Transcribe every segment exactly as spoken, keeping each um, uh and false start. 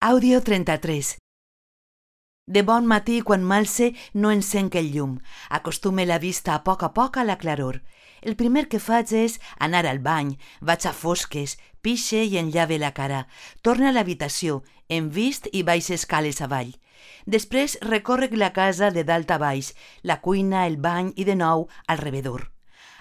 Àudio trenta-tres. De bon matí, quan m'alce, no encenc el llum. Acostume la vista a poc a poc a la claror. El primer que faig és anar al bany, vaig a fosques, pixe i enllave la cara. Torne a l'habitació, em vist i baix escales avall. Després recórrec la casa de dalt a baix, la cuina, el bany i de nou al rebedor.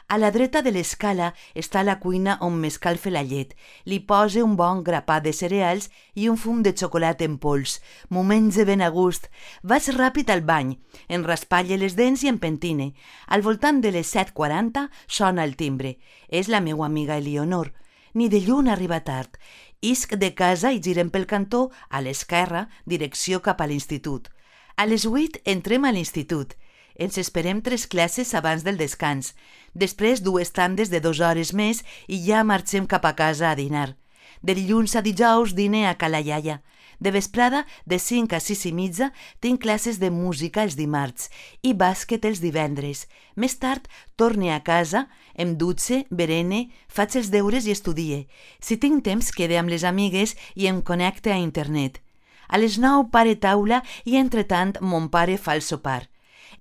A la dreta de l'escala està la cuina on m'escalfe la llet. Li pose un bon grapat de cereals i un fum de xocolata en pols. M'ho menge ben a gust. Vaig ràpid al bany, em raspalle les dents i em pentine. Al voltant de les set quaranta sona el timbre. És la meua amiga Elionor. Ni de lluny arriba tard. Isc de casa i girem pel cantó, a l'esquerra, direcció cap a l'institut. A les vuit entrem a l'institut. Ens esperem tres classes abans del descans. Després dues tandes de dues hores més i ja marxem cap a casa a dinar. De dilluns a dijous dine a Cala Iaia. De vesprada, de cinc a sis i mitja, tinc classes de música els dimarts i bàsquet els divendres. Més tard, torne a casa, em dutxe, berene, faig els deures i estudie. Si tinc temps, quede amb les amigues i em connecte a internet. A les nou pare taula i, entretant, mon pare fa el sopar.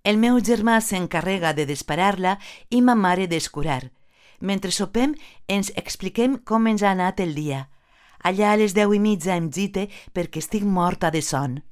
El meu germà s'encarrega de desparar-la i ma mare d'escurar. Mentre sopem, ens expliquem com ens ha anat el dia. Allà a les deu i mitja em gite perquè estic morta de son.